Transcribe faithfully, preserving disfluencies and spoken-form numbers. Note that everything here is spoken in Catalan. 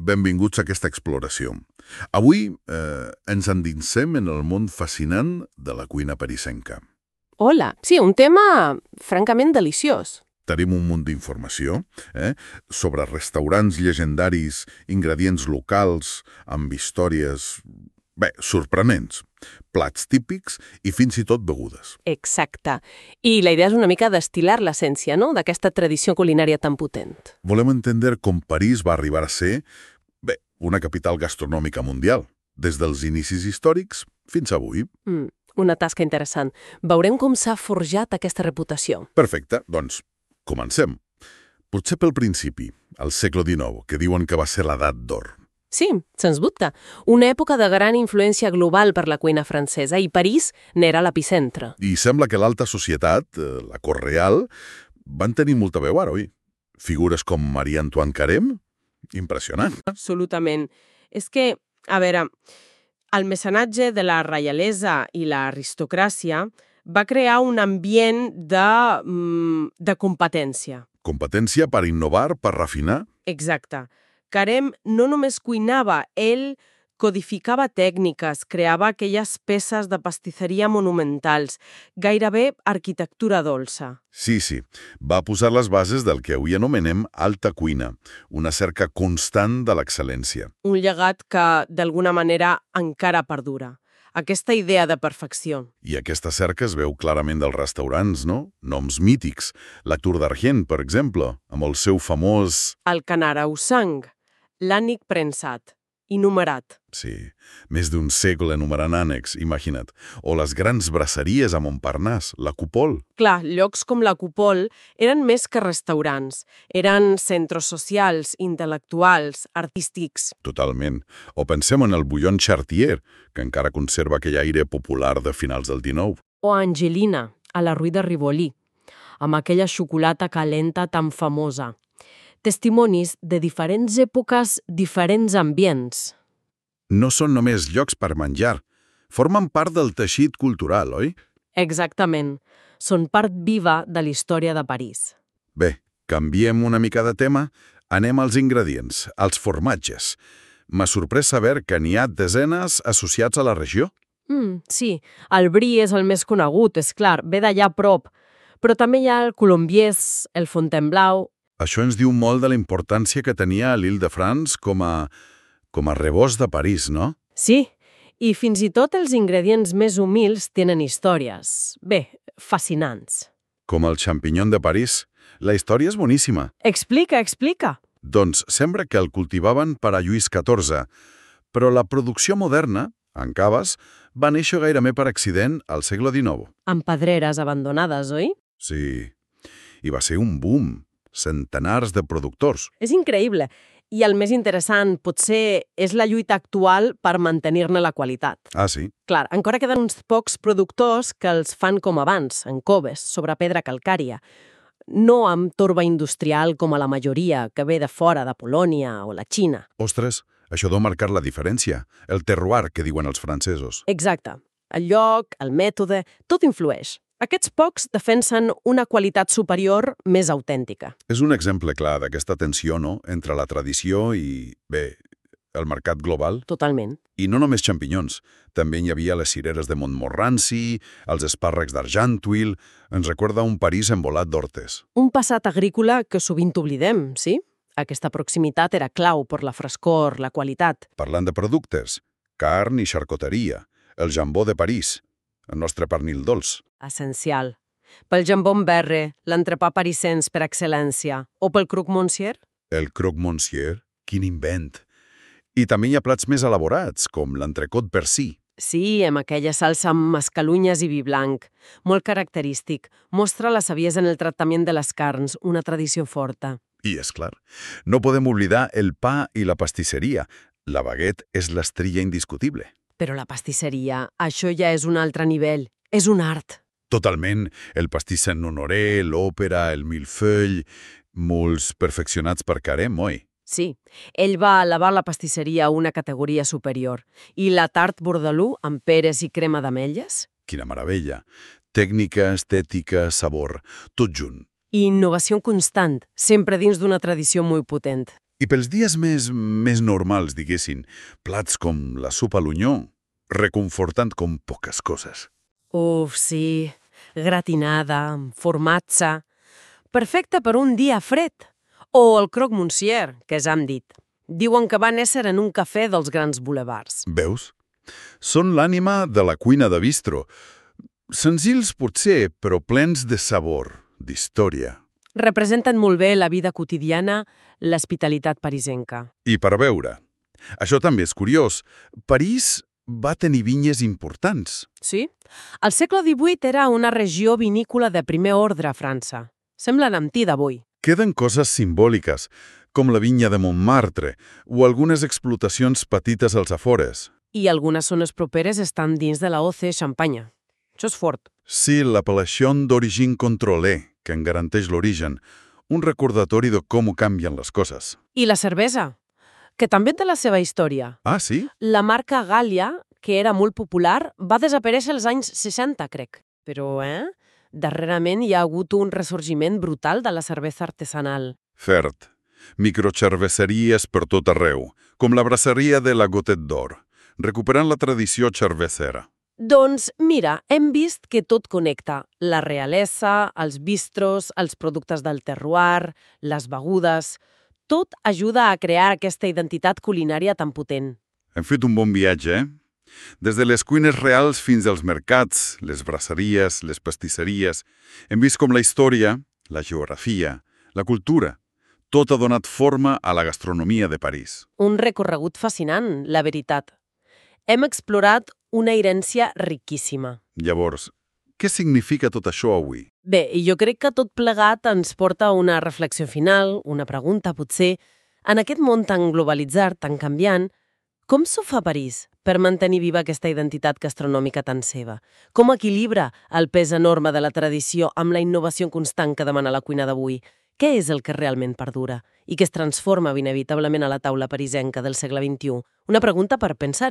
Benvinguts a aquesta exploració. Avui eh, ens endinsem en el món fascinant de la cuina parisenca. Hola, sí, un tema francament deliciós. Tenim un munt d'informació eh, sobre restaurants llegendaris, ingredients locals, amb històries, bé, sorprenents, plats típics i fins i tot begudes. Exacte. I la idea és una mica destil·lar l'essència, no?, d'aquesta tradició culinària tan potent. Volem entendre com París va arribar a ser, bé, una capital gastronòmica mundial, des dels inicis històrics fins avui. Mm, una tasca interessant. Veurem com s'ha forjat aquesta reputació. Perfecte, doncs, comencem. Potser pel principi, al segle dinou, que diuen que va ser l'edat d'or. Sí, sens dubte. Una època de gran influència global per la cuina francesa i París n'era l'epicentre. I sembla que l'alta societat, eh, la cort real, van tenir molta veu ara, oi? Figures com Marie-Antoine Carême? Impressionant. Absolutament. És que, a veure, el mecenatge de la reialesa i l'aristocràcia va crear un ambient de, mm, de competència. Competència per innovar, per refinar. Exacte. Carême no només cuinava, ell codificava tècniques, creava aquelles peces de pastisseria monumentals, gairebé arquitectura dolça. Sí, sí. Va posar les bases del que avui anomenem alta cuina, una cerca constant de l'excel·lència. Un llegat que, d'alguna manera, encara perdura. Aquesta idea de perfecció. I aquesta cerca es veu clarament dels restaurants, no? Noms mítics. La Tour d'Argent, per exemple, amb el seu famós... El Canarausang, l'ànec prensat i numerat. Sí, més d'un segle numerant ànecs, imagina't. O les grans braceries a Montparnasse, la Coupole. Clar, llocs com la Coupole eren més que restaurants. Eren centres socials, intel·lectuals, artístics. Totalment. O pensem en el Bouillon Chartier, que encara conserva aquell aire popular de finals del dinou. O Angelina, a la Rue de Rivoli, amb aquella xocolata calenta tan famosa. Testimonis de diferents èpoques, diferents ambients. No són només llocs per menjar. Formen part del teixit cultural, oi? Exactament. Són part viva de la història de París. Bé, canviem una mica de tema. Anem als ingredients, als formatges. M'ha sorprès saber que n'hi ha desenes associats a la regió. Mm, sí, el brie és el més conegut, és clar, ve d'allà a prop. Però també hi ha el colombiès, el Fontainebleau. Això ens diu molt de la importància que tenia l'Île-de-France com a, com a rebost de París, no? Sí, i fins i tot els ingredients més humils tenen històries, bé, fascinants. Com el champignon de París. La història és boníssima. Explica, explica. Doncs sembla que el cultivaven per a Lluís catorze, però la producció moderna, en caves, va néixer gairebé per accident al segle dinou. Amb pedreres abandonades, oi? Sí, i va ser un boom. Centenars de productors. És increïble. I el més interessant, potser, és la lluita actual per mantenir-ne la qualitat. Ah, sí? Clar, encara queden uns pocs productors que els fan com abans, en coves, sobre pedra calcària. No amb torba industrial com a la majoria, que ve de fora, de Polònia o la Xina. Ostres, això deu marcar la diferència. El terroir, que diuen els francesos. Exacte. El lloc, el mètode, tot influeix. Aquests pocs defensen una qualitat superior més autèntica. És un exemple clar d'aquesta tensió, no?, entre la tradició i, bé, el mercat global. Totalment. I no només xampinyons. També hi havia les cireres de Montmorency, els espàrrecs d'Argenteuil. Ens recorda un París envolat d'hortes. Un passat agrícola que sovint oblidem, sí? Aquesta proximitat era clau per la frescor, la qualitat. Parlant de productes, carn i xarcuteria, el jambó de París, el nostre pernil dolç. Essencial. Pel jambó en berre, l'entrepà parisens per excel·lència, o pel croque monsieur? El croque monsieur, quin invent! I també hi ha plats més elaborats, com l'entrecot percí. Sí, amb aquella salsa amb mascalunyes i vi blanc. Molt característic. Mostra la saviesa en el tractament de les carns, una tradició forta. I, és clar, no podem oblidar el pa i la pastisseria. La baguette és l'estrella indiscutible. Però la pastisseria, això ja és un altre nivell. És un art. Totalment. El pastís Saint-Honoré, l'òpera, el millefeuille, molts perfeccionats per Carême, oi? Sí, ell va elevar la pastisseria a una categoria superior. I la tart bordalú amb peres i crema d'ametlles? Quina meravella. Tècnica, estètica, sabor, tot junt. I innovació constant, sempre dins d'una tradició molt potent. I pels dies més, més normals, diguessin, plats com la sopa a l'onyó, reconfortant com poques coses. Uf, sí, gratinada, amb formatge... Perfecte per un dia fred. O el croque monsieur, que ja hem dit. Diuen que va néixer en un cafè dels grans bulevards. Veus? Són l'ànima de la cuina de bistro. Senzills potser, però plens de sabor, d'història. Representen molt bé la vida quotidiana, l'hospitalitat parisenca. I per veure. Això també és curiós. París va tenir vinyes importants. Sí? Al segle divuit era una regió vinícola de primer ordre a França. Semblen amb ti d'avui. Queden coses simbòliques, com la vinya de Montmartre o algunes explotacions petites als afores. I algunes zones properes estan dins de la O C Champagne. Això és fort. Sí, l'apel·lació d'origine contrôlée, que en garanteix l'origen, un recordatori de com canvien les coses. I la cervesa, que també té la seva història. Ah, sí? La marca Gallia, que era molt popular, va desaparèixer als anys seixanta, crec. Però, eh? Darrerament hi ha hagut un ressorgiment brutal de la cervesa artesanal. Cert. Microcerveseries per tot arreu, com la brasseria de la Gotet d'Or, recuperant la tradició cervecera. Doncs, mira, hem vist que tot connecta. La realesa, els bistros, els productes del terroir, les begudes... Tot ajuda a crear aquesta identitat culinària tan potent. Hem fet un bon viatge, eh? Des de les cuines reals fins als mercats, les brasseries, les pastisseries, hem vist com la història, la geografia, la cultura, tot ha donat forma a la gastronomia de París. Un recorregut fascinant, la veritat. Hem explorat una herència riquíssima. Llavors, què significa tot això avui? Bé, jo crec que tot plegat ens porta a una reflexió final, una pregunta, potser. En aquest món tan globalitzat, tan canviant, com s'ho fa París per mantenir viva aquesta identitat gastronòmica tan seva? Com equilibra el pes enorme de la tradició amb la innovació constant que demana la cuina d'avui? Què és el que realment perdura i que es transforma inevitablement a la taula parisenca del segle vint-i-u? Una pregunta per pensar